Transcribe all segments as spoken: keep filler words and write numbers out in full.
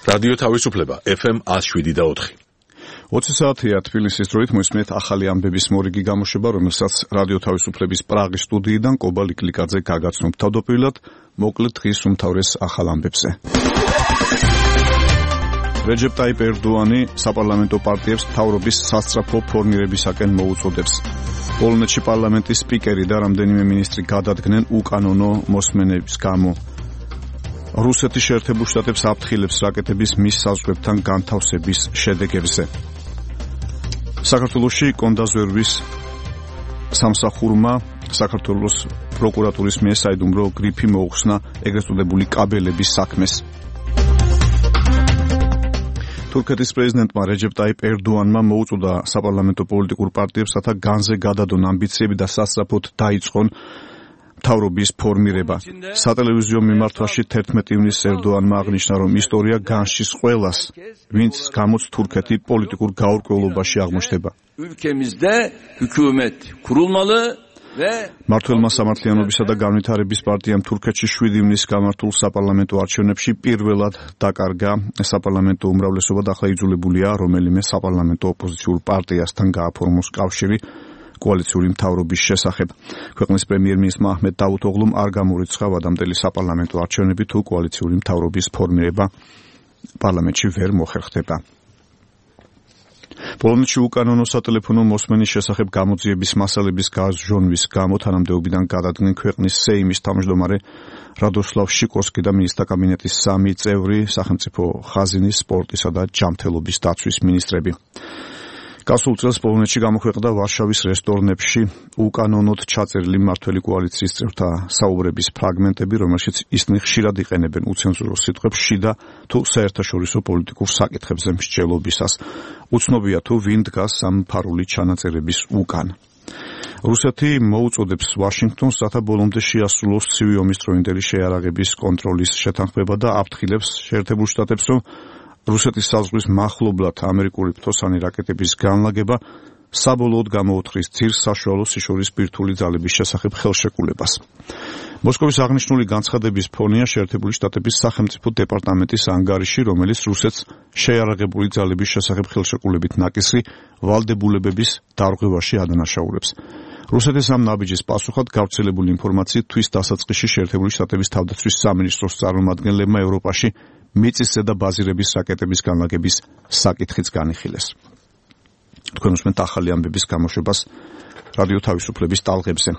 რადიო თავისუფლება ეფ ემ one oh seven point four. ოცი საათია თბილისის დროით მოისმენთ ახალი ამბების მორიგი გამოშვება, რომელსაც რადიო თავისუფლების პრაღის სტუდიიდან კობა ლიკლიკაძე გაგაცნობ თავდაპირველად, მოკლედ დღის უმთავრეს ახალ ამბებზე. რეჯეპ ტაიპ ერდოანი საპარლამენტო პარტიებს მთავრობის სასწრაფო ფორმირებისაკენ მოუწოდებს. პოლონეთში პარლამენტის სპიკერი და რამდენიმე მინისტრი გადადგნენ უკანონო მოსმენების გამო. რუსეთის შეერთებულ შტატებს აფრთხილებს რაკეტების მის საზღვრებთან განთავსების შედეგებზე. საქართველოში კონდაზვერვის სამსახურმა საქართველოს პროკურატურის მიერ საიდუმლო გრიფი მოუხსნა ეგრეთ წოდებული კაბელების საქმეს. თურქეთის პრეზიდენტმა რეჯეპ ტაიპ ერდოანმა მოუწოდა საპარლამენტო პოლიტიკურ პარტიებსათა განზე გადადონ ამბიციები და სასწრაფოდ დაიწყონ მთავრობის ფორმირება. სატელევიზიო მიმართვაში თერთმეტი ივნისს ერდოანმა აღნიშნა, რომ ისტორია განშის ყველას, ვინც გამოც თურქეთი პოლიტიკურ გაურკვევლობაში აღმოჩნდება. მმართველმა სამართლიანობისა და განვითარების პარტიამ თურქეთში შვიდი ივნისს გამართულ საპარლამენტო არჩევნებში პირველად დაკარგა საპარლამენტო უმრავლესობა და ახლა იძულებულია რომელიმე საპარლამენტო ოპოზიციურ პარტიასთან გააფორმოს კავშირი კოალიციური მთავრობის შესახებ. ქვეყნის პრემიერ-მინისტრმა აჰმედ დავუთოღლუმ არ გამორიცხა ვადამდელი საპარლამენტო არჩევნები თუ კოალიციური მთავრობის ფორმირება პარლამენტში ვერ მოხერხდება. პოლონეთში უკანონო სატელეფონო მოსმენის შესახებ გამოძიების მასალების გაზრჟონვის გამო თანამდებობიდან გადადგნენ ქვეყნის სეიმის თავმჯდომარე რადოსლავ შიკორსკი და მინისტრთა კაბინეტის სამი წევრი, სახელმწიფო ხაზინის, სპორტისა და ჯანმრთელობის დაცვის მინისტრები. გასულ წელს პოლონეთში გამოქვეყნდა ვარშავის რესტორნებში უკანონოდ ჩაწერილი მმართველი კოალიციის წევრთა საუბრების ფრაგმენტები, რომელშიც ისინი ხშირად იყენებენ უცენზურო სიტყვებს შიდა თუ საერთაშორისო პოლიტიკურ საკითხებზე მსჯელობისას. უცნობია თუ ვინ დგას ამ ფარული ჩანაწერების უკან. რუსეთი მოუწოდებს ვაშინგტონს, რათა ბოლომდე შეასრულოს ცივი ომის დროინდელი შეიარაღების კონტროლის შეთანხმება და აფრთხილებს შეერთებულ შტატებს, რომ რუსეთის საზღვრის მახლობლად ამერიკული ფთოსანი რაკეტების განლაგება საბოლოოდ გამოუთხრის ძირს საშუალო სიშორის ბირთვული ძალების შესახებ ხელშეკრულებას. მოსკოვის აღნიშნული განცხადების ფონია შეერთებული შტატების სახელმწიფო დეპარტამენტის ანგარიში, რომელიც რუსეთს შეიარაღებული ძალების შესახებ ხელშეკრულებით ნაკისრი ვალდებულებების დარღვევაში ადანაშაულებს. რუსეთის ამ ნაბიჯის პასუხად გავრცელებული ინფორმაციით თვის დასაწყისში შეერთებული შტატების თავდაცვის სამინისტროს წარმომადგენლებმა ევროპაში მიწისზედა ბაზირების რაკეტების განლაგების საკითხიც განიხილეს. თქვენ უსმენთ ახალი ამბების გამოშვებას რადიო თავისუფლების ტალღებზე.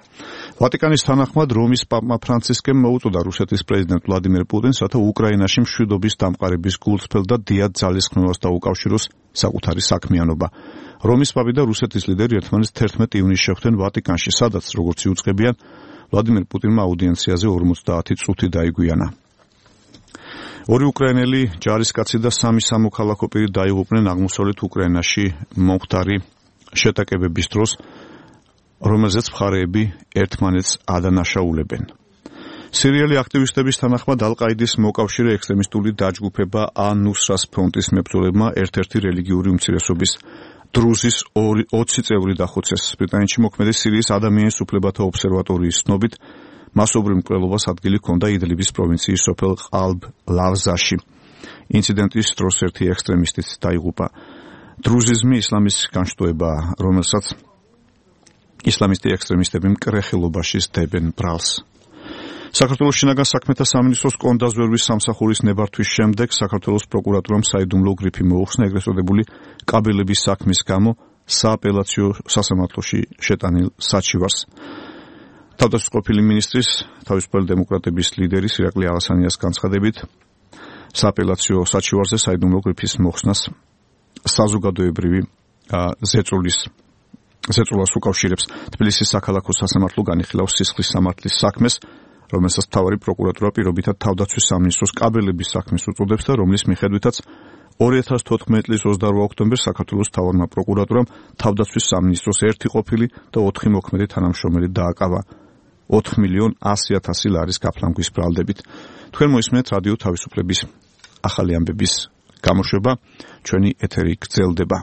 ვატიკანის თანახმად რომის პაპმა ფრანცისკემ მოუწოდა რუსეთის პრეზიდენტ ვლადიმერ პუტინს, რათა უკრაინაში მშვიდობის დამყარების გულწრფელ და დიად ძალისხმევას დაუკავშიროს საკუთარი საქმიანობა. რომის პაპი და რუსეთის ლიდერი ერთმანეთს თერთმეტი ივნისს შეხვდნენ ვატიკანში, სადაც, როგორც იუწყებიან, ვლადიმერ პუტინმა აუდიენციაზე ორმოცდაათი წუთი დაიგვიანა. ორი უკრაინელი ჯარისკაცი და სამი სამოქალაქო პირი დაიღუპნენ აღმოსავლეთ უკრაინაში მომხდარი შეტაკებების დროს, რომელზეც მხარეები ერთმანეთს ადანაშაულებენ. სირიელი აქტივისტების თანახმად ალ-ყაიდის მოკავშირე ექსტრემისტული დაჯგუფება ან-ნუსრას ფრონტის მებრძოლებმა ერთ-ერთი რელიგიური უმცირესობის დრუზის ოცი წევრი დახოცეს. ბრიტანეთში მოქმედი სირიის ადამიანის უფლებათა ობსერვატორიის ცნობით მასობრივ მკვლელობას ადგილი ჰქონდა იდლიბის პროვინციის სოფელ ყალბ-ლავზაში. ინციდენტის დროს ერთი ექსტრემისტიც დაიღუპა. დრუზიზმი ისლამის განშტოებაა, რომელსაც ისლამისტი ექსტრემისტები მკრეხილობაში სდებენ ბრალს. საქართველოს შინაგან საქმეთა სამინისტროს კონდაზვერვის სამსახურის ნებართვის შემდეგ საქართველოს პროკურატურამ საიდუმლო გრიფი მოუხსნა ეგრეთ წოდებული კაბელების საქმის გამო სააპელაციო სასამართლოში შეტანილ საჩივარს. თავდაცვის ყოფილი მინისტრის თავისუფალი დემოკრატების ლიდერის ირაკლი ალასანიას განცხადებით სააპელაციო საჩივარზე საიდუმლო გრიფის მოხსნას საზოგადოებრივი ზეწოლის ზეწოლას უკავშირებს. თბილისის საქალაქო სასამართლო განიხილავს სისხლის სამართლის საქმეს, რომელსაც მთავარი პროკურატურა პირობითად თავდაცვის სამინისტროს კაბელების საქმეს უწოდებს და რომლის მიხედვითაც ორი ათას თოთხმეტი წლის ოცდაორმა ოქტომბერს საქართველოს მთავარმა პროკურატურამ თავდაცვის სამინისტროს ერთი ყოფილი და ოთხი მოქმედი თანამშრომელი დააკავა ოთხ მილიონ ასი ათასი ლარის გაფლანგვის ბრალდებით. თქვენ მოისმენთ რადიო თავისუფლების ახალი ამბების გამოშვება, ჩვენი ეთერი გრძელდება.